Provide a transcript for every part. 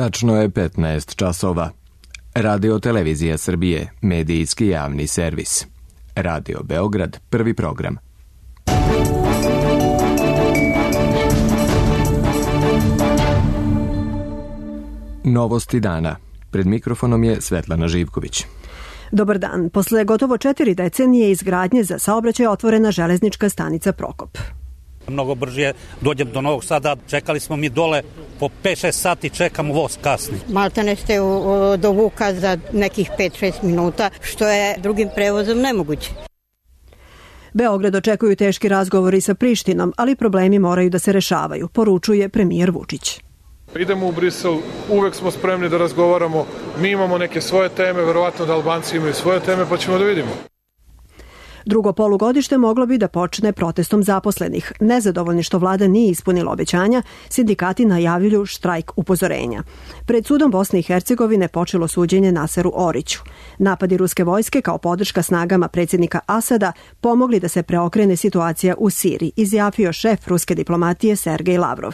Tačno je 15 časova. Radio Televizija Srbije, medijski javni servis. Radio Beograd, prvi program. Novosti dana. Pred mikrofonom je Svetlana Živković. Dobar dan. Posle gotovo 4 decenije izgradnje za saobraćaj otvorena železnička stanica Prokop. Mnogo brže dođem do Novog Sada. Čekali smo mi dole po 5-6 sati, čekamo voz kasni. Maltene ste do Vuka za nekih 5-6 minuta, što je drugim prevozom nemoguće. Beograd očekuju teški razgovori sa Prištinom, ali problemi moraju da se rešavaju, poručuje premijer Vučić. Idemo u Brisel, uvek smo spremni da razgovaramo, mi imamo neke svoje teme, verovatno da Albanci imaju svoje teme, pa ćemo da vidimo. Drugo polugodište moglo bi da počne protestom zaposlenih. Nezadovoljni što vlada nije ispunila obećanja, sindikati najavljuju štrajk upozorenja. Pred sudom Bosne i Hercegovine počelo suđenje Naseru Oriću. Napadi ruske vojske kao podrška snagama predsjednika Asada pomogli da se preokrene situacija u Siriji, izjavio šef ruske diplomatije Sergej Lavrov.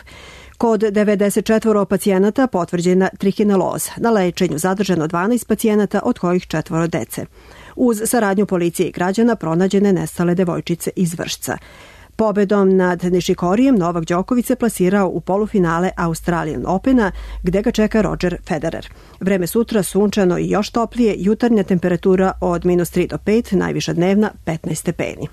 Kod 94 pacijenata potvrđena trihineloza. Na lečenju zadržano 12 pacijenata, od kojih 4 dece. Uz saradnju policije i građana pronađene nestale devojčice iz Vršca. Pobedom nad Nišikorijem Novak Đoković se plasirao u polufinale Australian Opena, gde ga čeka Roger Federer. Vreme sutra sunčano i još toplije, jutarnja temperatura od -3 do 5, najviša dnevna 15 stepeni.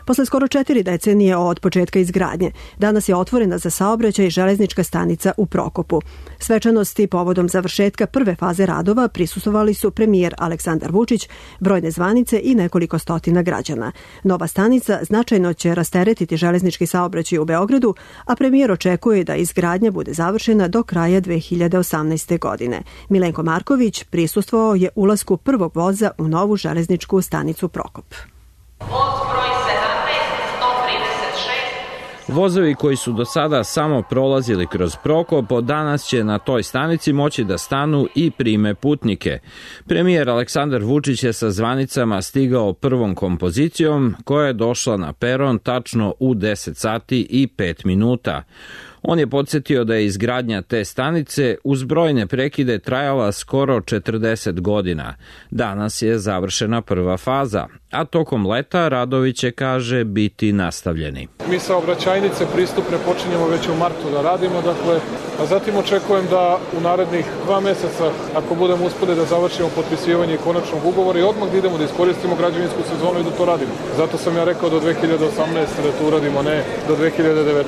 Posle skoro 4 decenije od početka izgradnje, danas je otvorena za saobraćaj železnička stanica u Prokopu. Svečanosti povodom završetka prve faze radova prisustvovali su premijer Aleksandar Vučić, brojne zvanice i nekoliko stotina građana. Nova stanica značajno će rasteretiti železnički saobraćaj u Beogradu, a premijer očekuje da izgradnja bude završena do kraja 2018. godine. Milenko Marković prisustvovao je ulasku prvog voza u novu železničku stanicu Prokop. Vozovi koji su do sada samo prolazili kroz Prokop, od danas će na toj stanici moći da stanu i prime putnike. Premijer Aleksandar Vučić je sa zvanicama stigao prvom kompozicijom koja je došla na peron tačno u 10 sati i 5 minuta. On je podsjetio da je izgradnja te stanice uz brojne prekide trajala skoro 40 godina. Danas je završena prva faza, a tokom leta radovi će, kaže, biti nastavljeni. Mi saobraćajnice pristupne počinjemo već u martu da radimo, a zatim očekujem da u narednih 2 meseca, ako budemo uspeli da završimo potpisivanje konačnog ugovora i odmah da idemo da iskoristimo građevinsku sezonu i da to radimo. Zato sam ja rekao do 2018. da to uradimo, ne do 2019.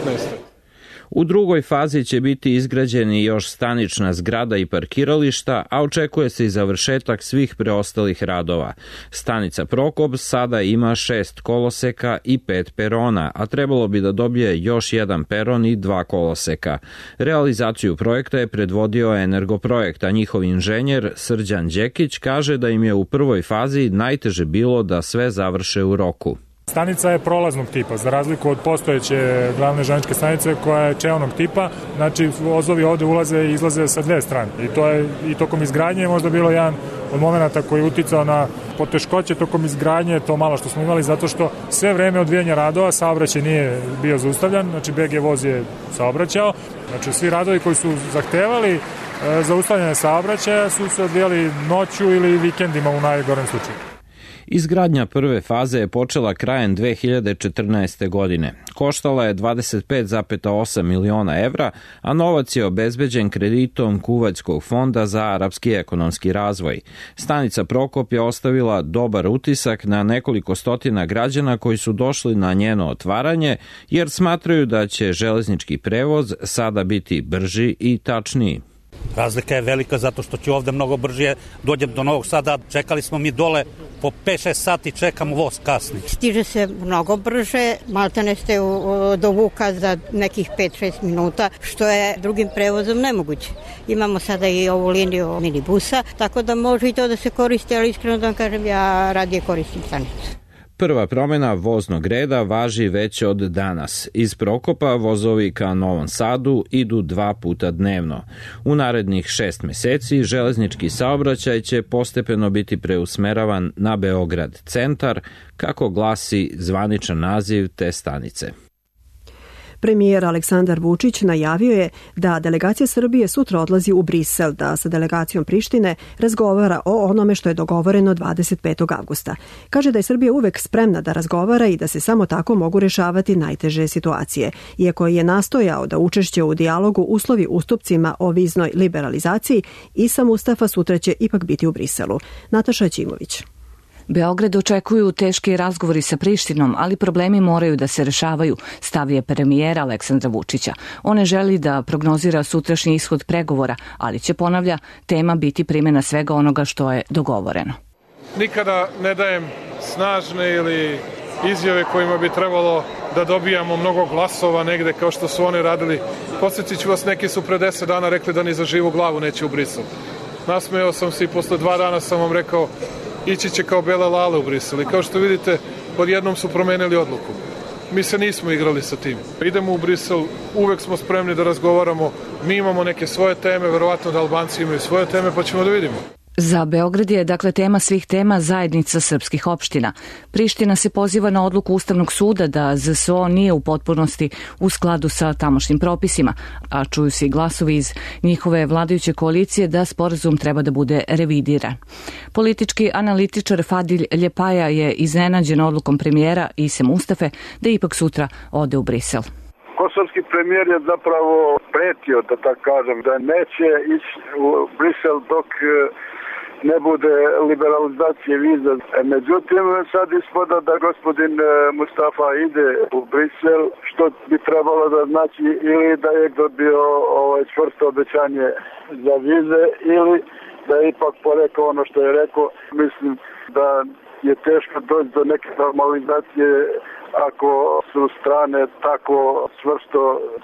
U drugoj fazi će biti izgrađeni još stanična zgrada i parkirališta, a očekuje se i završetak svih preostalih radova. Stanica Prokop sada ima 6 koloseka i 5 perona, a trebalo bi da dobije još 1 peron i 2 koloseka. Realizaciju projekta je predvodio Energoprojekt, a njihov inženjer Srđan Đekić kaže da im je u prvoj fazi najteže bilo da sve završe u roku. Stanica je prolaznog tipa, za razliku od postojeće glavne železničke stanice koja je čeonog tipa, znači vozovi ovde ulaze i izlaze sa 2 strane. I to je i tokom izgradnje možda bilo jedan od momenata koji je uticao na poteškoće tokom izgradnje, to malo što smo imali, zato što sve vreme odvijanja radova saobraćaj nije bio zaustavljan, znači BG voz je saobraćao, znači svi radovi koji su zahtevali zaustavljanje saobraćaja su se odvijali noću ili vikendima u najgorem slučaju. Izgradnja prve faze je počela krajem 2014. godine. Koštala je 25,8 miliona evra, a novac je obezbeđen kreditom Kuvajtskog fonda za arapski ekonomski razvoj. Stanica Prokop je ostavila dobar utisak na nekoliko stotina građana koji su došli na njeno otvaranje, jer smatraju da će železnički prevoz sada biti brži i tačniji. Razlika je velika zato što ću ovde mnogo brže dođem do Novog Sada. Čekali smo mi dole po 5-6 sati, čekamo voz kasni. Stiže se mnogo brže, maltene ste do Vuka za nekih 5-6 minuta, što je drugim prevozom nemoguće. Imamo sada i ovu liniju minibusa, tako da može i to da se koristi, ali iskreno da vam kažem, ja radije koristim stanicu. Prva promjena voznog reda važi već od danas. Iz Prokopa vozovi ka Novom Sadu idu 2 puta dnevno. U narednih 6 meseci železnički saobraćaj će postepeno biti preusmeravan na Beograd centar, kako glasi zvaničan naziv te stanice. Premijer Aleksandar Vučić najavio je da delegacija Srbije sutra odlazi u Brisel da sa delegacijom Prištine razgovara o onome što je dogovoreno 25. avgusta. Kaže da je Srbija uvek spremna da razgovara i da se samo tako mogu rešavati najteže situacije. Iako je nastojao da učešće u dijalogu uslovi ustupcima o viznoj liberalizaciji, Isa Mustafa sutra će ipak biti u Briselu. Nataša Ćimović. Beograd očekuju teški razgovori sa Prištinom, ali problemi moraju da se rešavaju, stav je premijera Aleksandra Vučića. On ne želi da prognozira sutrašnji ishod pregovora, ali će, ponavlja, tema biti primjena svega onoga što je dogovoreno. Nikada ne dajem snažne ili izjave kojima bi trebalo da dobijamo mnogo glasova negde kao što su oni radili. Podsjetit ću vas, neki su pre 10 dana rekli da ni za živu glavu neće u Brisel. Nasmejao sam se i posle 2 dana sam vam rekao ići će kao bele lale u Brisel. I kao što vidite, odjednom su promenili odluku. Mi se nismo igrali sa tim. Idemo u Brisel, uvek smo spremni da razgovaramo. Mi imamo neke svoje teme, verovatno da Albanci imaju svoje teme, pa ćemo da vidimo. Za Beograd je, dakle, tema svih tema zajednica srpskih opština. Priština se poziva na odluku Ustavnog suda da ZSO nije u potpunosti u skladu sa tamošnjim propisima, a čuju se i glasovi iz njihove vladajuće koalicije da sporazum treba da bude revidiran. Politički analitičar Fadil Ljepaja je iznenađen odlukom premijera Ise Mustafe da ipak sutra ode u Brisel. Kosovski premijer je zapravo pretio, da tako kažem, da neće ići u Brisel dok ne bude liberalizacije viza. Međutim, sad ispada da gospodin Mustafa ide u Brisel, što bi trebalo da znači ili da je dobio čvrsto obećanje za vize ili da je ipak porekao ono što je rekao. Mislim da je teško doći do neke normalizacije ako su strane tako čvrsto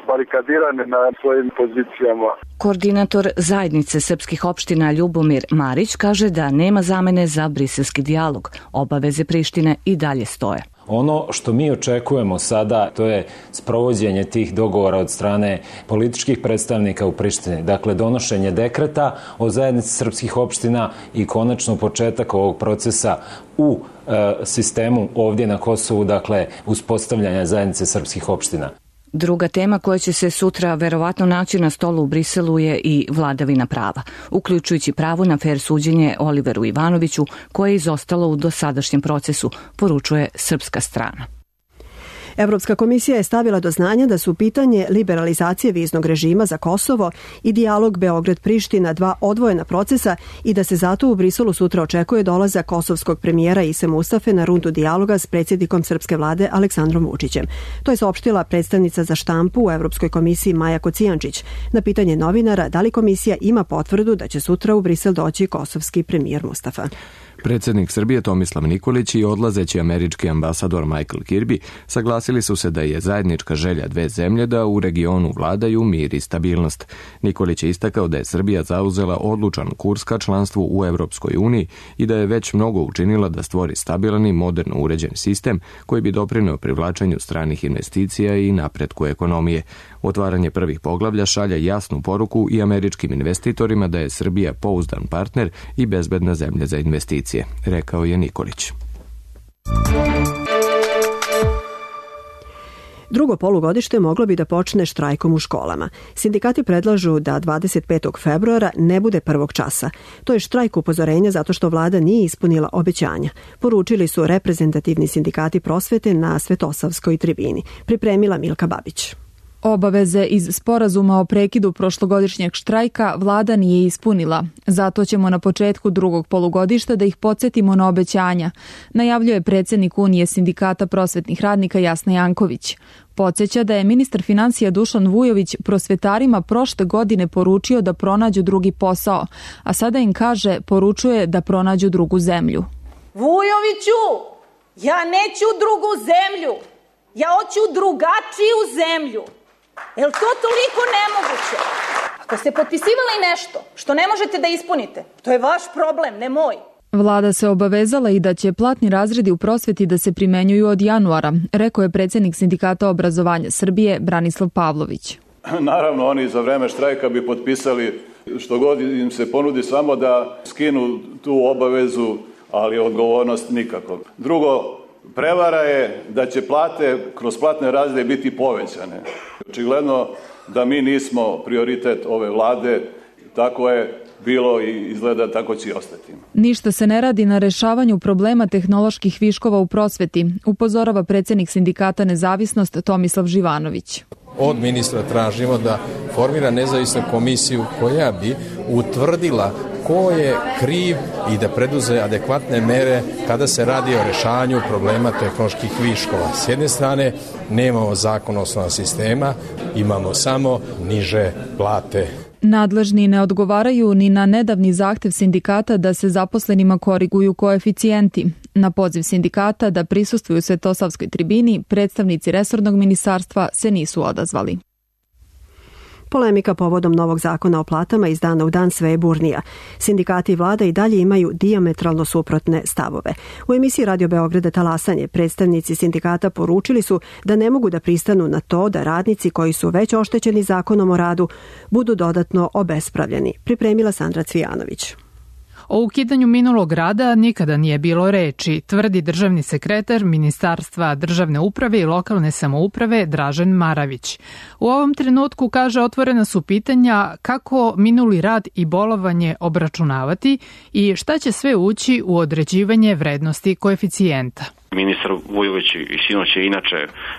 barikadirane na svojim pozicijama. Koordinator zajednice srpskih opština Ljubomir Marić kaže da nema zamene za briselski dijalog. Obaveze Prištine i dalje stoje. Ono što mi očekujemo sada, to je sprovođenje tih dogovora od strane političkih predstavnika u Prištini. Dakle, donošenje dekreta o zajednici srpskih opština i konačno početak ovog procesa u sistemu ovdje na Kosovu, dakle, uspostavljanja zajednice srpskih opština. Druga tema koja će se sutra verovatno naći na stolu u Briselu je i vladavina prava, uključujući pravo na fer suđenje Oliveru Ivanoviću, koje je izostalo u dosadašnjem procesu, poručuje srpska strana. Evropska komisija je stavila do znanja da su pitanje liberalizacije viznog režima za Kosovo i dijalog Beograd-Priština 2 odvojena procesa i da se zato u Briselu sutra očekuje dolazak kosovskog premijera Ise Mustafe na rundu dijaloga s predsjednikom srpske vlade Aleksandrom Vučićem. To je saopštila predstavnica za štampu u Evropskoj komisiji Maja Kocijančić. Na pitanje novinara da li komisija ima potvrdu da će sutra u Brisel doći kosovski premijer Mustafa. Predsjednik Srbije Tomislav Nikolić i odlazeći američki ambasador Michael Kirby saglasili su se da je zajednička želja dve zemlje da u regionu vladaju mir i stabilnost. Nikolić je istakao da je Srbija zauzela odlučan kurs ka članstvu u Evropskoj uniji i da je već mnogo učinila da stvori stabilan i moderno uređen sistem koji bi doprineo privlačenju stranih investicija i napretku ekonomije. Otvaranje prvih poglavlja šalje jasnu poruku i američkim investitorima da je Srbija pouzdan partner i bezbedna zemlja za investicije, rekao je Nikolić. Drugo polugodište moglo bi da počne štrajkom u školama. Sindikati predlažu da 25. februara ne bude prvog časa. To je štrajk upozorenja zato što vlada nije ispunila obećanja. Poručili su reprezentativni sindikati prosvete na Svetosavskoj tribini. Pripremila Milka Babić. Obaveze iz sporazuma o prekidu prošlogodišnjeg štrajka vlada nije ispunila. Zato ćemo na početku drugog polugodišta da ih podsjetimo na obećanja, najavljuje predsjednik Unije sindikata prosvetnih radnika Jasna Janković. Podsjeća da je ministar financija Dušan Vujović prosvetarima prošle godine poručio da pronađu drugi posao, a sada im kaže poručuje da pronađu drugu zemlju. Vujoviću, ja neću drugu zemlju, ja hoću drugačiju zemlju. Je li to toliko nemoguće? Ako ste potpisivali nešto što ne možete da ispunite, to je vaš problem, ne moj. Vlada se obavezala i da će platni razredi u prosveti da se primenjuju od januara, rekao je predsjednik Sindikata obrazovanja Srbije Branislav Pavlović. Naravno, oni za vreme štrajka bi potpisali što god im se ponudi, samo da skinu tu obavezu, ali odgovornost nikako. Drugo, Prevara je da će plate kroz platne razrede biti povećane. Očigledno da mi nismo prioritet ove vlade, tako je bilo i izgleda tako će i ostati. Ništa se ne radi na rešavanju problema tehnoloških viškova u prosveti, upozorava predsjednik sindikata Nezavisnost Tomislav Živanović. Od ministra tražimo da formira nezavisnu komisiju koja bi utvrdila ko je kriv i da preduze adekvatne mere kada se radi o rešavanju problema tehnoloških viškova. S jedne strane nemamo zakon osnova sistema, imamo samo niže plate. Nadležni ne odgovaraju ni na nedavni zahtev sindikata da se zaposlenima koriguju koeficijenti. Na poziv sindikata da prisustvuju Svetosavskoj tribini, predstavnici resornog ministarstva se nisu odazvali. Polemika povodom novog zakona o platama iz dana u dan sve je burnija. Sindikati i vlada i dalje imaju dijametralno suprotne stavove. U emisiji Radio Beograda Talasanje predstavnici sindikata poručili su da ne mogu da pristanu na to da radnici koji su već oštećeni zakonom o radu budu dodatno obespravljeni. Pripremila Sandra Cvijanović. O ukidanju minulog rada nikada nije bilo reči, tvrdi državni sekretar Ministarstva državne uprave i lokalne samouprave Dražen Maravić. U ovom trenutku, kaže, otvorena su pitanja kako minuli rad i bolovanje obračunavati i šta će sve ući u određivanje vrednosti koeficijenta. Ministar Vujović i sinoć je inače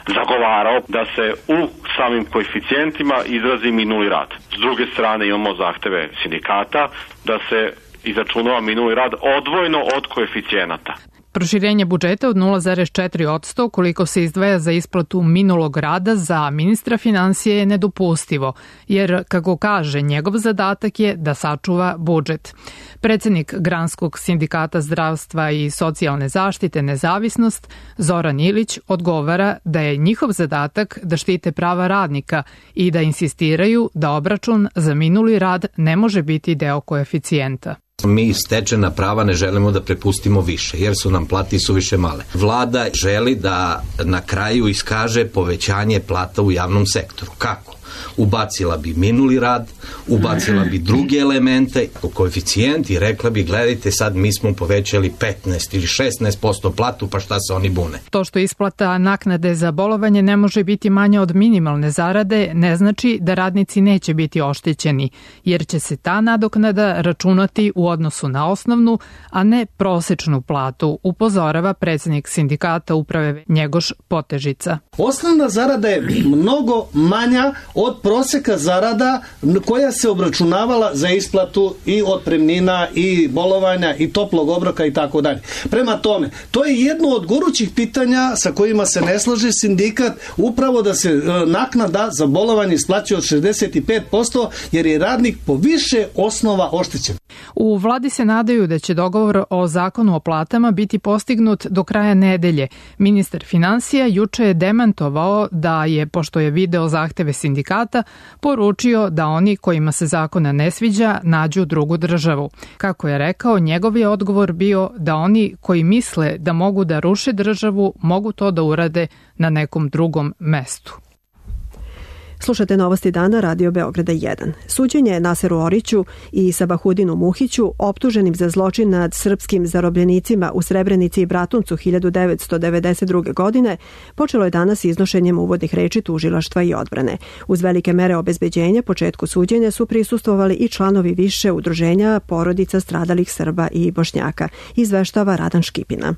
zagovarao da se u samim koeficijentima izrazi minuli rad. S druge strane imamo zahteve sindikata da se izračunava minuli rad odvojno od koeficijenata. Proširenje budžeta od 0,4% koliko se izdvaja za isplatu minulog rada za ministra finansije je nedopustivo, jer, kako kaže, njegov zadatak je da sačuva budžet. Predsjednik Granskog sindikata zdravstva i socijalne zaštite Nezavisnost, Zoran Ilić, odgovara da je njihov zadatak da štite prava radnika i da insistiraju da obračun za minuli rad ne može biti deo koeficijenta. Mi stečena prava ne želimo da prepustimo više, jer su nam plati suviše male. Vlada želi da na kraju iskaže povećanje plata u javnom sektoru. Kako? Ubacila bi minuli rad, ubacila bi druge elemente, koeficijent i rekla bi gledajte sad mi smo povećali 15 ili 16% platu, pa šta se oni bune. To što isplata naknade za bolovanje ne može biti manja od minimalne zarade ne znači da radnici neće biti oštećeni, jer će se ta nadoknada računati u odnosu na osnovnu, a ne prosečnu platu, upozorava predsjednik sindikata uprave Njegoš Potežica. Osnovna zarada je mnogo manja od proseka zarada koja se obračunavala za isplatu i otpremnina i bolovanja i toplog obroka i tako dalje. Prema tome, to je jedno od gorućih pitanja sa kojima se ne slaže sindikat, upravo da se naknada za bolovanje isplaćuje od 65% jer je radnik po više osnova oštećen. U vladi se nadaju da će dogovor o zakonu o platama biti postignut do kraja nedelje. Ministar finansija juče je demantovao da je, pošto je video zahteve sindikata, poručio da oni kojima se zakona ne sviđa nađu drugu državu. Kako je rekao, njegov je odgovor bio da oni koji misle da mogu da ruše državu mogu to da urade na nekom drugom mestu. Slušate Novosti dana Radio Beograda 1. Suđenje Naseru Oriću i Sabahudinu Muhiću, optuženim za zločin nad srpskim zarobljenicima u Srebrenici i Bratuncu 1992. godine, počelo je danas iznošenjem uvodnih reči tužilaštva i odbrane. Uz velike mere obezbeđenja početku suđenja su prisustvovali i članovi više udruženja porodica stradalih Srba i Bošnjaka, izveštava Radan Škipina.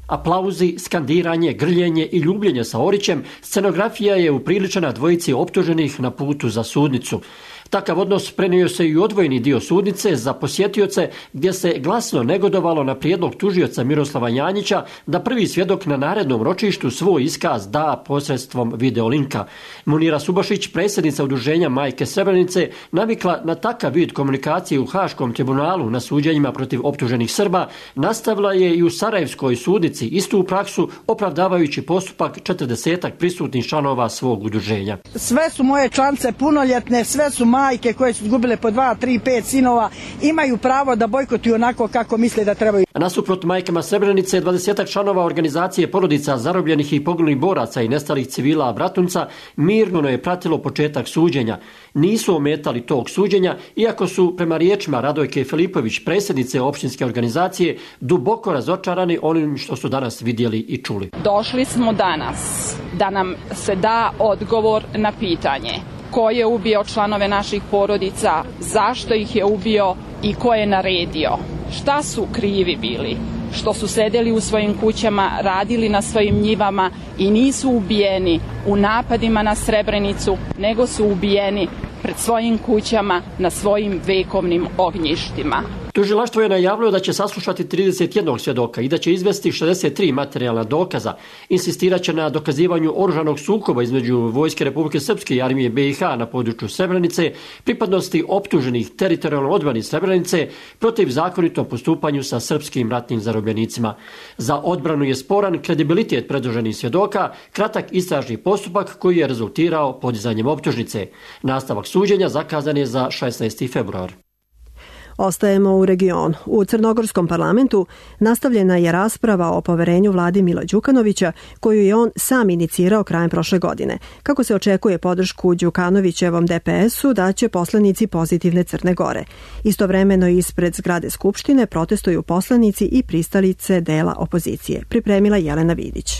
Aplauzi, skandiranje, grljenje i ljubljenje sa Orićem, scenografija je upriličena dvojici optuženih na putu za sudnicu. Takav odnos prenio se i u odvojeni dio sudnice za posjetioce gdje se glasno negodovalo na prijedlog tužioca Miroslava Janjića da prvi svjedok na narednom ročištu svoj iskaz da posredstvom videolinka. Munira Subašić, predsjednica udruženja Majke Srebrenice, navikla na takav vid komunikacije u Haškom tribunalu na suđenjima protiv optuženih Srba, nastavila je i u Sarajevskoj sudnici istu praksu, opravdavajući postupak 40-ak prisutnih članova svog udruženja. Sve su moje članice punoljetne, sve su majke koje su izgubile po 2, 3, 5 sinova imaju pravo da bojkotuju onako kako misle da trebaju. Nasuprot majkama Srebrenice, 20 članova organizacije porodica zarobljenih i poginulih boraca i nestalih civila Bratunca mirno je pratilo početak suđenja. Nisu ometali tog suđenja, iako su prema riječima Radojke Filipović, predsjednice opštinske organizacije, duboko razočarani onim što su danas vidjeli i čuli. Došli smo danas da nam se da odgovor na pitanje ko je ubio članove naših porodica, zašto ih je ubio i ko je naredio. Šta su krivi bili? Što su sedeli u svojim kućama, radili na svojim njivama i nisu ubijeni u napadima na Srebrenicu, nego su ubijeni pred svojim kućama na svojim vekovnim ognjištima. Tužilaštvo je najavilo da će saslušati 31 svjedoka i da će izvesti 63 materijalna dokaza. Insistirat će na dokazivanju oružanog sukoba između Vojske Republike Srpske i Armije BiH na području Srebrenice, pripadnosti optuženih teritorijalno odbrani Srebrenice protiv zakonitom postupanju sa srpskim ratnim zarobljenicima. Za odbranu je sporan kredibilitet predloženih svjedoka, kratak istražni postupak koji je rezultirao podizanjem optužnice. Nastavak suđenja zakazan je za 16. februar. Ostajemo u regionu. U Crnogorskom parlamentu nastavljena je rasprava o poverenju vladi Mila Đukanovića, koju je on sam inicirao krajem prošle godine. Kako se očekuje podršku Đukanovićevom DPS-u daće poslanici Pozitivne Crne Gore. Istovremeno ispred zgrade Skupštine protestuju poslanici i pristalice dela opozicije. Pripremila Jelena Vidić.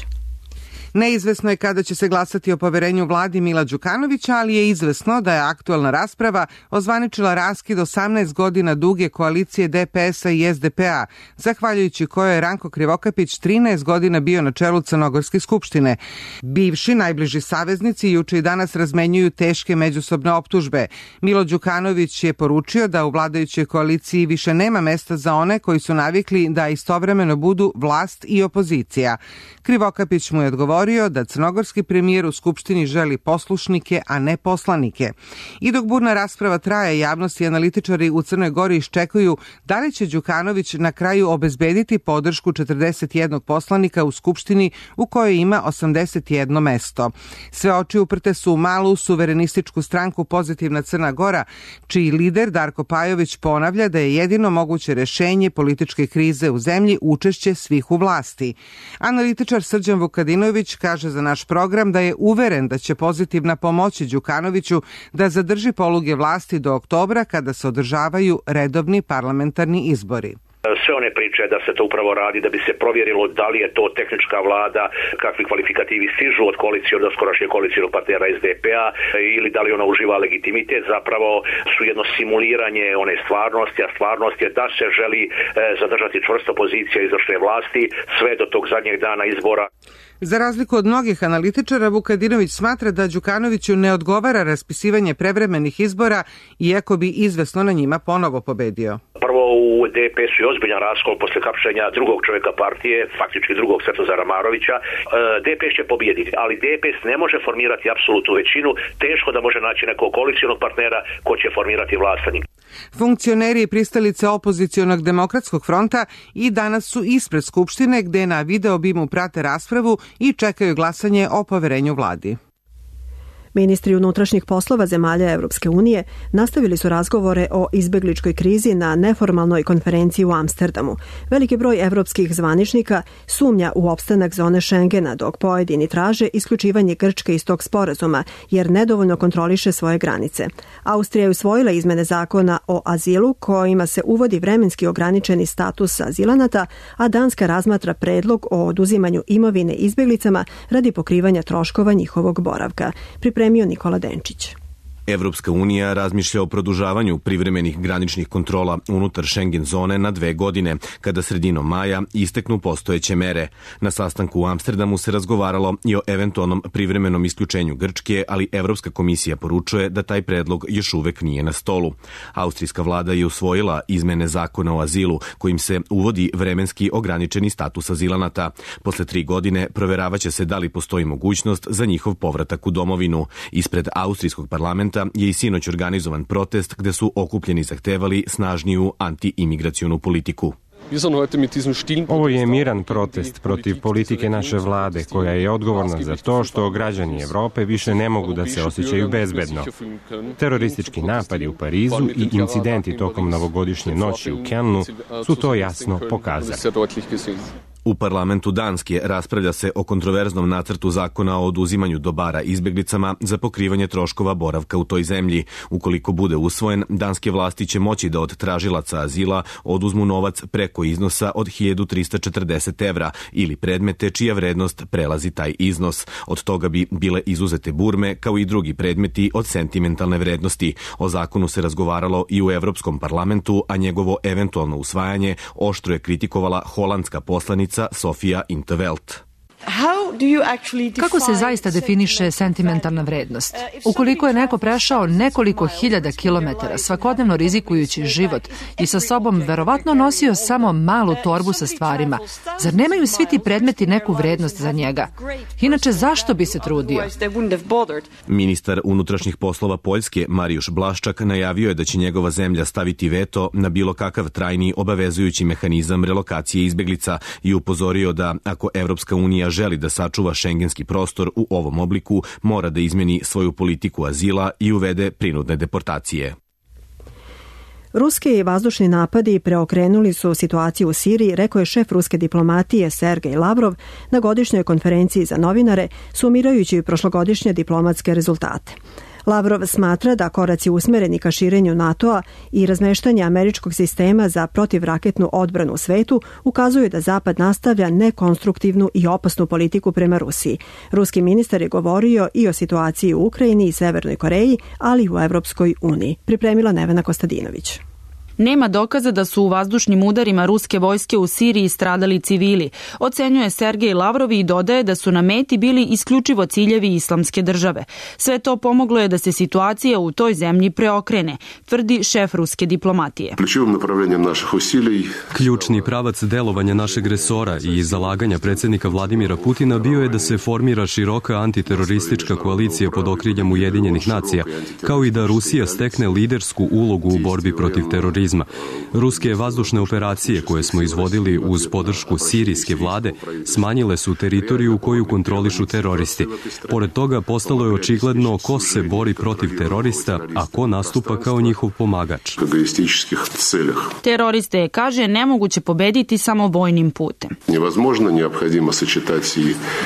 Neizvesno je kada će se glasati o poverenju vladi Mila Đukanovića, ali je izvesno da je aktualna rasprava ozvaničila raskid 18 godina duge koalicije DPS-a i SDP-a, zahvaljujući kojoj je Ranko Krivokapić 13 godina bio na čelu Crnogorske skupštine. Bivši najbliži saveznici juče i danas razmenjuju teške međusobne optužbe. Milo Đukanović je poručio da u vladajućoj koaliciji više nema mesta za one koji su navikli da istovremeno budu vlast i opozicija. Krivokapić mu je odgovorio da crnogorski premijer u Skupštini želi poslušnike, a ne poslanike. I dok burna rasprava traje, javnost i analitičari u Crnoj Gori iščekuju da li će Đukanović na kraju obezbediti podršku 41 poslanika u Skupštini u kojoj ima 81 mesto. Sve oči uprte su u malu suverenističku stranku Pozitivna Crna Gora, čiji lider Darko Pajović ponavlja da je jedino moguće rešenje političke krize u zemlji učešće svih u vlasti. Analitičar Srđan Vukadinović kaže za naš program da je uveren da će Pozitivna pomoći Đukanoviću da zadrži poluge vlasti do oktobra kada se održavaju redovni parlamentarni izbori. Sve one priče da se to upravo radi da bi se provjerilo da li je to tehnička vlada, kakvi kvalifikativi stižu od koalicije, od skorašnje koalicijnog partnera SDP-a ili da li ona uživa legitimitet, zapravo su jedno simuliranje one stvarnosti, a stvarnost je da se želi zadržati čvrsto pozicija izvršne vlasti sve do tog zadnjeg dana izbora. Za razliku od mnogih analitičara, Vukadinović smatra da Đukanoviću ne odgovara raspisivanje prevremenih izbora, iako bi izvesno na njima ponovo pobedio. Prvo u DPS-u je ozbiljan raskol posle hapšenja drugog čovjeka partije, faktički drugog Svetozara Marovića. DPS će pobijediti, ali DPS ne može formirati apsolutnu većinu, teško da može naći nekog koalicijnog partnera ko će formirati vlast. Funkcioneri i pristalice opozicionog demokratskog fronta i danas su ispred Skupštine gde na video bimu prate raspravu i čekaju glasanje o poverenju vladi. Ministri unutrašnjih poslova zemalja Evropske unije nastavili su razgovore o izbegličkoj krizi na neformalnoj konferenciji u Amsterdamu. Veliki broj evropskih zvaničnika sumnja u opstanak zone Schengena, dok pojedini traže isključivanje Grčke iz tog sporazuma, jer nedovoljno kontroliše svoje granice. Austrija je usvojila izmene zakona o azilu kojima se uvodi vremenski ograničeni status azilanata, a Danska razmatra predlog o oduzimanju imovine izbeglicama radi pokrivanja troškova njihovog boravka. Pripremio Nikola Denčić. Evropska unija razmišlja o produžavanju privremenih graničnih kontrola unutar Schengen zone na 2 godine, kada sredinom maja isteknu postojeće mere. Na sastanku u Amsterdamu se razgovaralo i o eventualnom privremenom isključenju Grčke, ali Evropska komisija poručuje da taj predlog još uvek nije na stolu. Austrijska vlada je usvojila izmene zakona o azilu, kojim se uvodi vremenski ograničeni status azilanata. Posle 3 godine proveravaće se da li postoji mogućnost za njihov povratak u domovinu. Ispred austrijskog parlamenta je i sinoć organizovan protest gde su okupljeni zahtevali snažniju anti-imigracionu politiku. Ovo je miran protest protiv politike naše vlade, koja je odgovorna za to što građani Evrope više ne mogu da se osjećaju bezbedno. Teroristički napadi u Parizu i incidenti tokom novogodišnje noći u Kelnu su to jasno pokazali. U parlamentu Danske raspravlja se o kontroverznom nacrtu zakona o oduzimanju dobara izbeglicama za pokrivanje troškova boravka u toj zemlji. Ukoliko bude usvojen, danske vlasti će moći da od tražilaca azila oduzmu novac preko iznosa od 1340 evra ili predmete čija vrednost prelazi taj iznos. Od toga bi bile izuzete burme, kao i drugi predmeti od sentimentalne vrednosti. O zakonu se razgovaralo i u Evropskom parlamentu, a njegovo eventualno usvajanje oštro je kritikovala holandska poslanica Sofia in 't Veld. Kako se zaista definiše sentimentalna vrednost? Ukoliko je neko prešao nekoliko hiljada kilometara, svakodnevno rizikujući život i sa sobom verovatno nosio samo malu torbu sa stvarima, zar nemaju svi ti predmeti neku vrednost za njega? Inače, zašto bi se trudio? Ministar unutrašnjih poslova Poljske, Marijuš Blaščak, najavio je da će njegova zemlja staviti veto na bilo kakav trajni obavezujući mehanizam relokacije izbeglica i upozorio da ako Evropska unija želi da sačuva šengenski prostor u ovom obliku, mora da izmeni svoju politiku azila i uvede prinudne deportacije. Ruski vazdušni napadi preokrenuli su situaciju u Siriji, rekao je šef ruske diplomatije Sergej Lavrov na godišnjoj konferenciji za novinare, sumirajući prošlogodišnje diplomatske rezultate. Lavrov smatra da koraci usmereni ka širenju NATO-a i razmeštanje američkog sistema za protivraketnu odbranu u svetu ukazuju da Zapad nastavlja nekonstruktivnu i opasnu politiku prema Rusiji. Ruski ministar je govorio i o situaciji u Ukrajini i Severnoj Koreji, ali i u Evropskoj uniji. Pripremila Nevena Kostadinović. Nema dokaza da su u vazdušnim udarima ruske vojske u Siriji stradali civili, ocenjuje Sergej Lavrov i dodaje da su na meti bili isključivo ciljevi islamske države. Sve to pomoglo je da se situacija u toj zemlji preokrene, tvrdi šef ruske diplomatije. Ključni pravac delovanja našeg resora i zalaganja predsjednika Vladimira Putina bio je da se formira široka antiteroristička koalicija pod okriljem Ujedinjenih nacija, kao i da Rusija stekne lidersku ulogu u borbi protiv terorizma. Ruske vazdušne operacije koje smo izvodili uz podršku sirijske vlade smanjile su teritoriju koju kontrolišu teroristi. Pored toga postalo je očigledno ko se bori protiv terorista, a ko nastupa kao njihov pomagač. Teroriste je, kaže, nemoguće pobediti samo vojnim putem.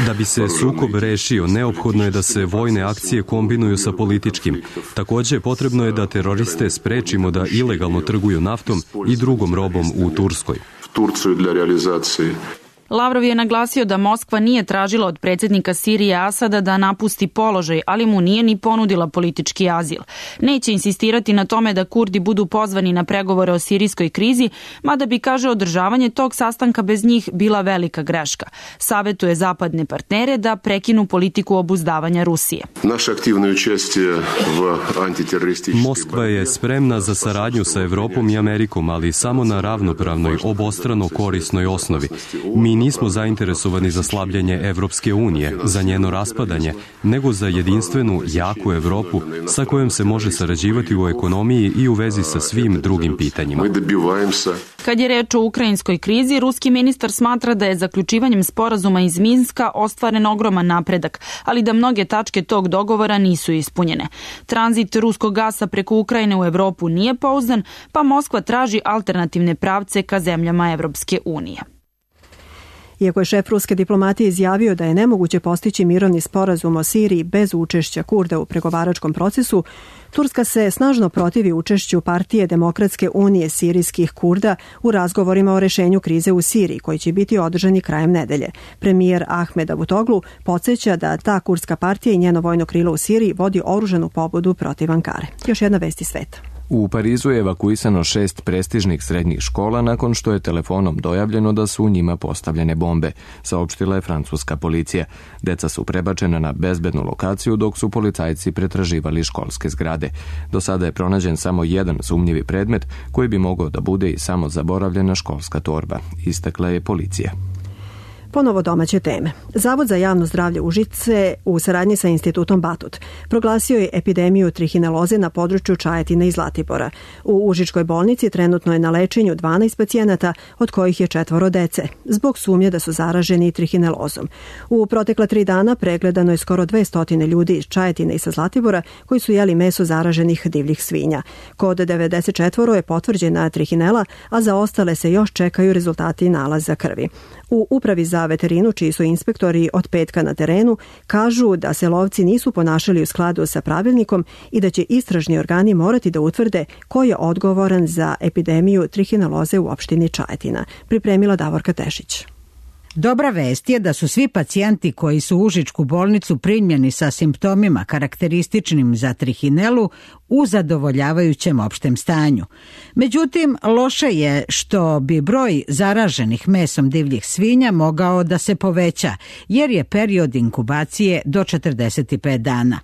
Da bi se sukob rešio, neophodno je da se vojne akcije kombinuju sa političkim. Takođe, potrebno je da teroriste sprečimo da ilegalno trguju naftom i drugom robom u Turskoj. Lavrov je naglasio da Moskva nije tražila od predsjednika Sirije Asada da napusti položaj, ali mu nije ni ponudila politički azil. Neće insistirati na tome da Kurdi budu pozvani na pregovore o sirijskoj krizi, mada bi, kaže, održavanje tog sastanka bez njih bila velika greška. Savetuje zapadne partnere da prekinu politiku obuzdavanja Rusije. Moskva je spremna za saradnju sa Evropom i Amerikom, ali samo na ravnopravnoj, obostrano korisnoj osnovi. Mi nismo zainteresovani za slabljenje Evropske unije, za njeno raspadanje, nego za jedinstvenu, jaku Evropu sa kojom se može sarađivati u ekonomiji i u vezi sa svim drugim pitanjima. Kad je reč o ukrajinskoj krizi, ruski ministar smatra da je zaključivanjem sporazuma iz Minska ostvaren ogroman napredak, ali da mnoge tačke tog dogovora nisu ispunjene. Tranzit ruskog gasa preko Ukrajine u Evropu nije pouzdan, pa Moskva traži alternativne pravce ka zemljama Evropske unije. Iako je šef ruske diplomatije izjavio da je nemoguće postići mirovni sporazum o Siriji bez učešća Kurda u pregovaračkom procesu, Turska se snažno protivi učešću Partije Demokratske unije sirijskih Kurda u razgovorima o rešenju krize u Siriji, koji će biti održani krajem nedelje. Premijer Ahmed Davutoglu podsjeća da ta kurdska partija i njeno vojno krilo u Siriji vodi oružanu pobudu protiv Ankare. Još jedna vest iz sveta. U Parizu je evakuisano 6 prestižnih srednjih škola nakon što je telefonom dojavljeno da su u njima postavljene bombe, saopštila je francuska policija. Deca su prebačena na bezbednu lokaciju dok su policajci pretraživali školske zgrade. Do sada je pronađen samo jedan sumnjivi predmet koji bi mogao da bude i samo zaboravljena školska torba, istakla je policija. Ponovo domaće teme. Zavod za javno zdravlje Užice u saradnji sa institutom Batut proglasio je epidemiju trihineloze na području Čajetine i Zlatibora. U Užičkoj bolnici trenutno je na lečenju 12 pacijenata, od kojih je 4 dece, zbog sumnje da su zaraženi trihinelozom. U protekla 3 dana pregledano je skoro 200 ljudi iz Čajetine i sa Zlatibora koji su jeli meso zaraženih divljih svinja. Kod 94 je potvrđena trihinela, a za ostale se još čekaju rezultati nalaza krvi. U Upravi za veterinu, čiji su inspektori od petka na terenu, kažu da se lovci nisu ponašali u skladu sa pravilnikom i da će istražni organi morati da utvrde ko je odgovoran za epidemiju trihineloze u opštini Čajetina. Pripremila Davorka Tešić. Dobra vest je da su svi pacijenti koji su u Užičku bolnicu primljeni sa simptomima karakterističnim za trihinelu u zadovoljavajućem opštem stanju. Međutim, loše je što bi broj zaraženih mesom divljih svinja mogao da se poveća, jer je period inkubacije do 45 dana.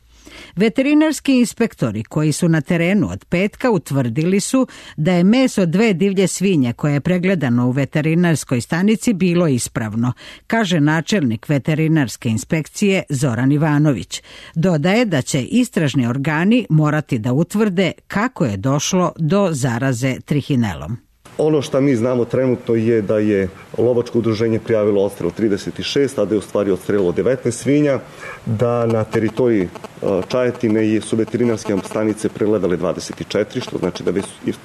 Veterinarski inspektori koji su na terenu od petka utvrdili su da je meso 2 divlje svinje koje je pregledano u veterinarskoj stanici bilo ispravno, kaže načelnik veterinarske inspekcije Zoran Ivanović. Dodaje da će istražni organi morati da utvrde kako je došlo do zaraze trihinelom. Ono što mi znamo trenutno je da je lovačko udruženje prijavilo odstrel 36, a da je u stvari odstrelilo 19 svinja, da na teritoriji Čajetine su veterinarske stanice pregledale 24, što znači da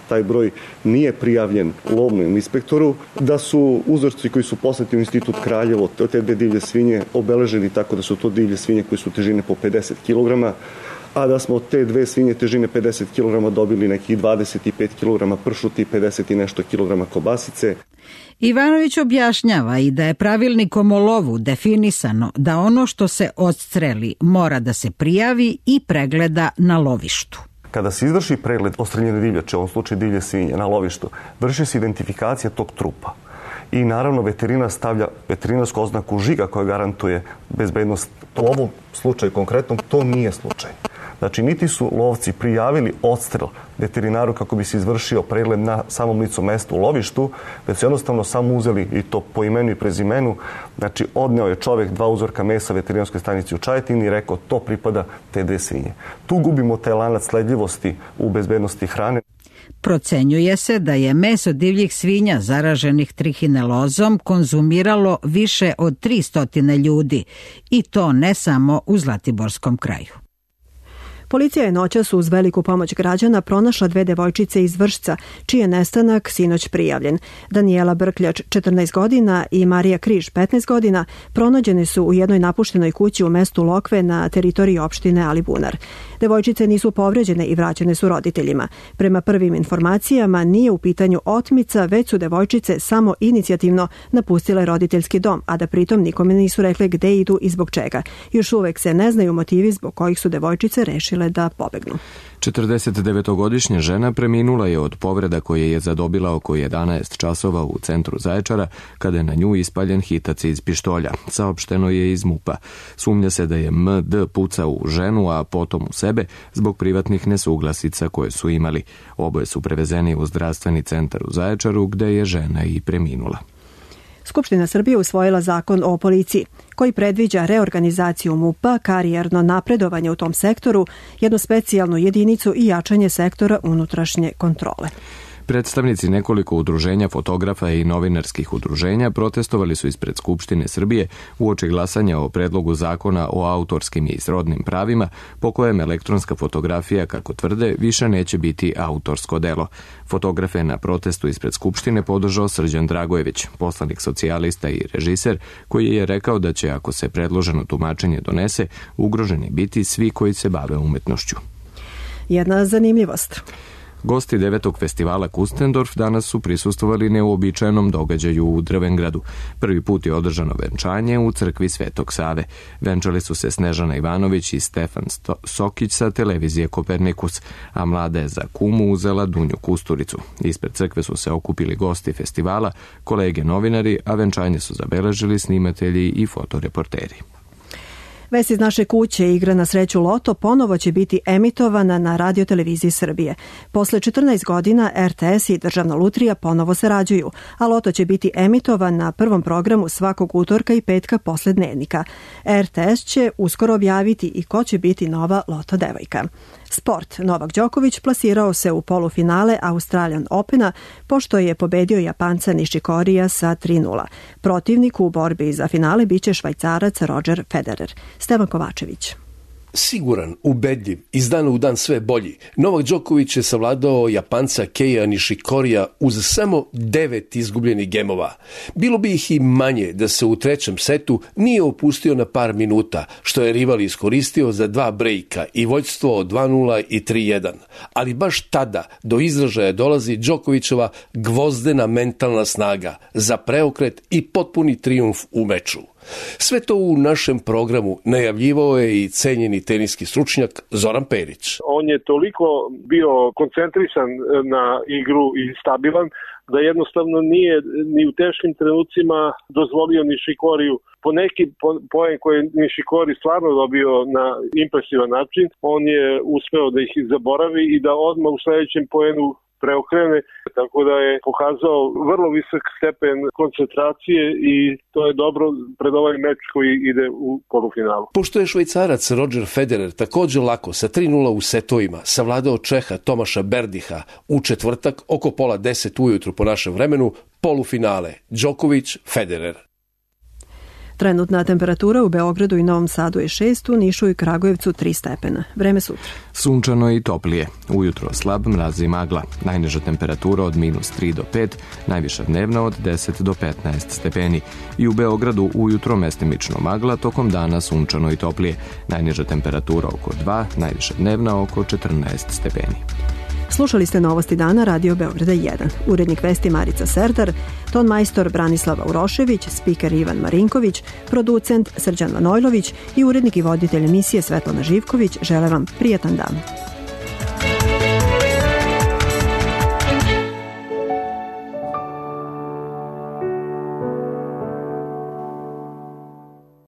taj broj nije prijavljen lovnom inspektoru, da su uzorci koji su poslati u Institut Kraljevo od te 2 divlje svinje obeleženi tako da su to divlje svinje koje su težine po 50 kg, a da smo od te 2 svinje težine 50 kg dobili nekih 25 kg pršuti i 50 i nešto kilograma kobasice. Ivanović objašnjava i da je pravilnikom o lovu definisano da ono što se odstreli mora da se prijavi i pregleda na lovištu. Kada se izvrši pregled odstreljene divljače, u ovom slučaju divlje svinje, na lovištu, vrši se identifikacija tog trupa. I naravno veterinar stavlja veterinarsku oznaku žiga koja garantuje bezbednost. U ovom slučaju konkretnom to nije slučaj. Znači, niti su lovci prijavili odstrel veterinaru kako bi se izvršio pregled na samom licu mesta u lovištu, već su jednostavno samo uzeli i to po imenu i prezimenu. Znači, odneo je čovjek 2 uzorka mesa veterinarskoj stanici u Čajetini i rekao to pripada te 2 svinje. Tu gubimo taj lanac sledljivosti u bezbednosti hrane. Procenjuje se da je meso divljih svinja zaraženih trihinelozom konzumiralo više od 300 ljudi i to ne samo u Zlatiborskom kraju. Policija je noćas uz veliku pomoć građana pronašla 2 devojčice iz Vršca, čiji je nestanak sinoć prijavljen. Danijela Brkljač, 14 godina, i Marija Križ, 15 godina, pronađene su u jednoj napuštenoj kući u mestu Lokve na teritoriji opštine Alibunar. Devojčice nisu povređene i vraćene su roditeljima. Prema prvim informacijama nije u pitanju otmica, već su devojčice samo inicijativno napustile roditeljski dom, a da pritom nikome nisu rekle gde idu i zbog čega. Još uvek se ne znaju motivi zbog kojih su devojčice rešile da pobegnu. 49-godišnja žena preminula je od povreda koje je zadobila oko 11 časova u centru Zaječara, kada je na nju ispaljen hitac iz pištolja. Saopšteno je iz MUP-a. Sumnja se da je M.D. pucao u ženu, a potom u sebe, zbog privatnih nesuglasica koje su imali. Oboje su prevezeni u zdravstveni centar u Zaječaru, gde je žena i preminula. Skupština Srbije usvojila zakon o policiji, koji predviđa reorganizaciju MUP-a, karijerno napredovanje u tom sektoru, jednu specijalnu jedinicu i jačanje sektora unutrašnje kontrole. Predstavnici nekoliko udruženja fotografa i novinarskih udruženja protestovali su ispred Skupštine Srbije uoči glasanja o predlogu zakona o autorskim i srodnim pravima, po kojem elektronska fotografija, kako tvrde, više neće biti autorsko delo. Fotografe na protestu ispred Skupštine podržao Srđan Dragojević, poslanik socijalista i režiser, koji je rekao da će, ako se predloženo tumačenje donese, ugroženi biti svi koji se bave umetnošću. Jedna zanimljivost. Gosti 9. festivala Kustendorf danas su prisustvovali neuobičajenom događaju u Drvengradu. Prvi put je održano venčanje u crkvi Svetog Save. Venčali su se Snežana Ivanović i Stefan Sokić sa televizije Kopernikus, a mlada je za kumu uzela Dunju Kusturicu. Ispred crkve su se okupili gosti festivala, kolege novinari, a venčanje su zabeležili snimatelji i fotoreporteri. Vest iz naše kuće, igra na sreću Loto ponovo će biti emitovana na radioteleviziji Srbije. Posle 14 godina RTS i Državna lutrija ponovo sarađuju, a Loto će biti emitovan na prvom programu svakog utorka i petka posle dnevnika. RTS će uskoro objaviti i ko će biti nova Loto devojka. Sport. Novak Đoković plasirao se u polufinale Australian Opena pošto je pobedio Japanca Nishikorija sa 3:0. Protivnik u borbi za finale biće Švajcarac Roger Federer. Stevan Kovačević. Siguran, ubedljiv, iz dana u dan sve bolji, Novak Đoković je savladao Japanca Keija Nishikorija uz samo 9 izgubljenih gemova. Bilo bi ih i manje da se u trećem setu nije opustio na par minuta, što je rival iskoristio za 2 brejka i vođstvo od 2:0 i 3:1. Ali baš tada do izražaja dolazi Đokovićeva gvozdena mentalna snaga za preokret i potpuni trijumf u meču. Sve to u našem programu najavljivao je i cenjeni teniski stručnjak Zoran Perić. On je toliko bio koncentrisan na igru i stabilan da jednostavno nije ni u teškim trenucima dozvolio Nishikoriju po neki poen koji je Nishikori stvarno dobio na impresivan način. On je uspeo da ih zaboravi i da odmah u sledećem poenu preokrene, tako da je pokazao vrlo visok stepen koncentracije i to je dobro pred ovaj meč koji ide u polufinalu. Pošto je Švajcarac Roger Federer također lako sa 3:0 u setovima savladao Čeha Tomaša Berdiha u četvrtak oko 9:30 ujutru po našem vremenu, polufinale Đoković-Federer. Trenutna temperatura u Beogradu i Novom Sadu je 6, u Nišu i Kragujevcu 3 stepena. Vreme sutra. Sunčano i toplije. Ujutro slab mraz i magla. Najniža temperatura od -3 do 5, najviša dnevna od 10 do 15 stepeni. I u Beogradu ujutro mestimično magla, tokom dana sunčano i toplije. Najniža temperatura oko 2, najviša dnevna oko 14 stepeni. Slušali ste Novosti dana Radio Beograda 1. Urednik vesti Marica Serdar, ton majstor Branislava Urošević, spiker Ivan Marinković, producent Srđan Manojlović i urednik i voditelj emisije Svetlana Živković žele vam prijatan dan.